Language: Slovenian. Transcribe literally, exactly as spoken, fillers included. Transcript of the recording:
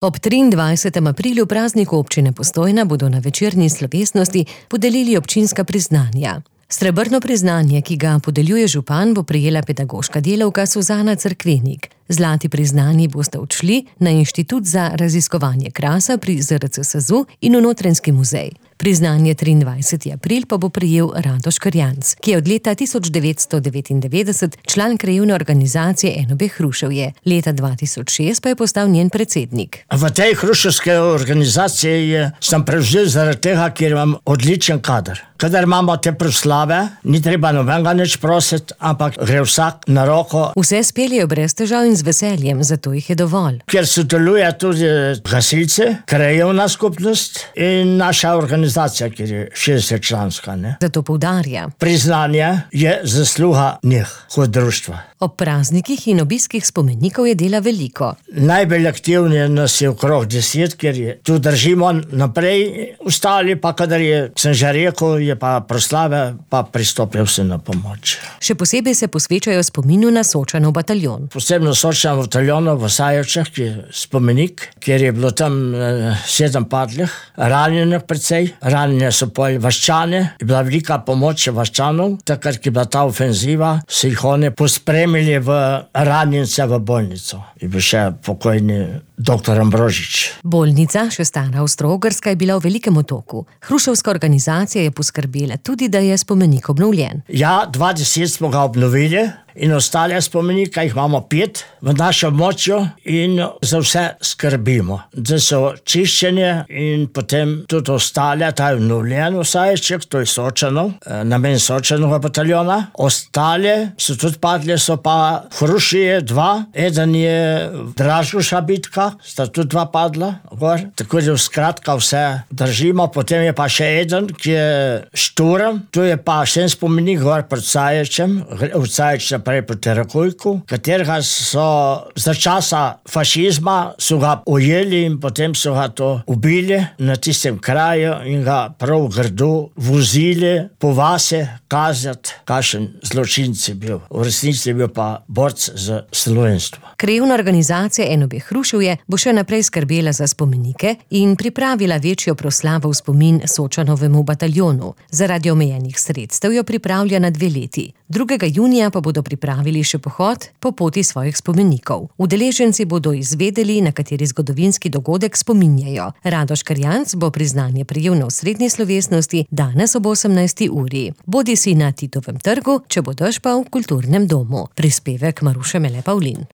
Ob triindvajsetem aprilu, prazniku občine Postojna, bodo na večerni slovesnosti podelili občinska priznanja. Srebrno priznanje, ki ga podeljuje župan, bo prejela pedagoška delavka Suzana Cerkvenik. Zlati priznanji boste odšli na Inštitut za raziskovanje krasa pri Z R C S Z U in v Notranjski muzej. Priznanje triindvajsetega aprila pa bo prejel Radoš Krjanc, ki je od leta tisoč devetsto devetindevetdeset član krajevne organizacije N O B Hruševje. Leta dva tisoč šest pa je postal njen predsednik. V tej hruševski organizaciji sem prevzel zaradi tega, ker imam odličen kader. Kadar imamo te proslave, ni treba nobenega nič prositi, ampak gre vsak na roko. Vse speljejo brez težav in z veseljem, zato jih je dovolj. Ker sodeluje tudi gasilci, krajevna skupnost in naša organizacija, ki je šestdeset članska. Ne? Zato poudarja. Priznanje je zasluga njih, kot društva. Ob praznikih in obiskih spomenikov je dela veliko. Najbolj aktivni nas je okrog deset, ker je tu držimo naprej, ostali pa, kadar je, sem že rekel, je pa proslave, pa pristopijo vse na pomoč. Še posebej se posvečajo spominu na Sočanov bataljon. Posebno Sočanov bataljon v Sajevčah, ki je spomenik, kjer je bilo tam eh, sedem padlih, ranjenih precej, ranjene so pol vaščane, je bila velika pomoč vaščanov, takrat, ki je bila ta ofenziva, so jih oni pospremili v ranjence v bolnico. Je bil še pokojni doktor Ambrožič. Bolnica, še stara Avstro-Ogrska, je bila v velikem otoku. Hruševska organizacija je poskrbela tudi, da je spomenik obnovljen. Ja, dva deset smo ga obnovili in ostale spomenike, jih imamo pet v našem območju in za vse skrbimo. Da so čiščenje in potem tudi ostale, ta je obnovljen vsajček, to je Sočanov, namen Sočanova bataljona. Ostale so tudi padli, so pa Hrušije dva, eden je Dražuša bitka, sta tudi dva padla gor, tako da skratka vse držimo. Potem je pa še eden, ki je Šturm, tu je pa še en spomenik gor pred Saječem, v Saječem prej proti Rakujku, katerega so za časa fašizma so ga ujeli in potem so ga to ubili na tistem kraju in ga prav grdo vozili po vase kazati, kakšen zločinci bil. V resnici je bil pa borc za slovenstvo. Krajevna organizacija N O B Hruševje bo še naprej skrbela za spomenike in pripravila večjo proslavo v spomin Sočanovemu bataljonu. Zaradi omejenih sredstev jo pripravlja na dve leti. drugega junija pa bodo pripravili še pohod po poti svojih spomenikov. Udeleženci bodo izvedeli, na kateri zgodovinski dogodek spominjajo. Radoš Krjanc bo priznanje prejel na osrednji slovesnosti danes ob osemnajsti uri. Bodi si na Titovem trgu, če bo dež pa v kulturnem domu. Prispevek Maruše Mele Pavlin.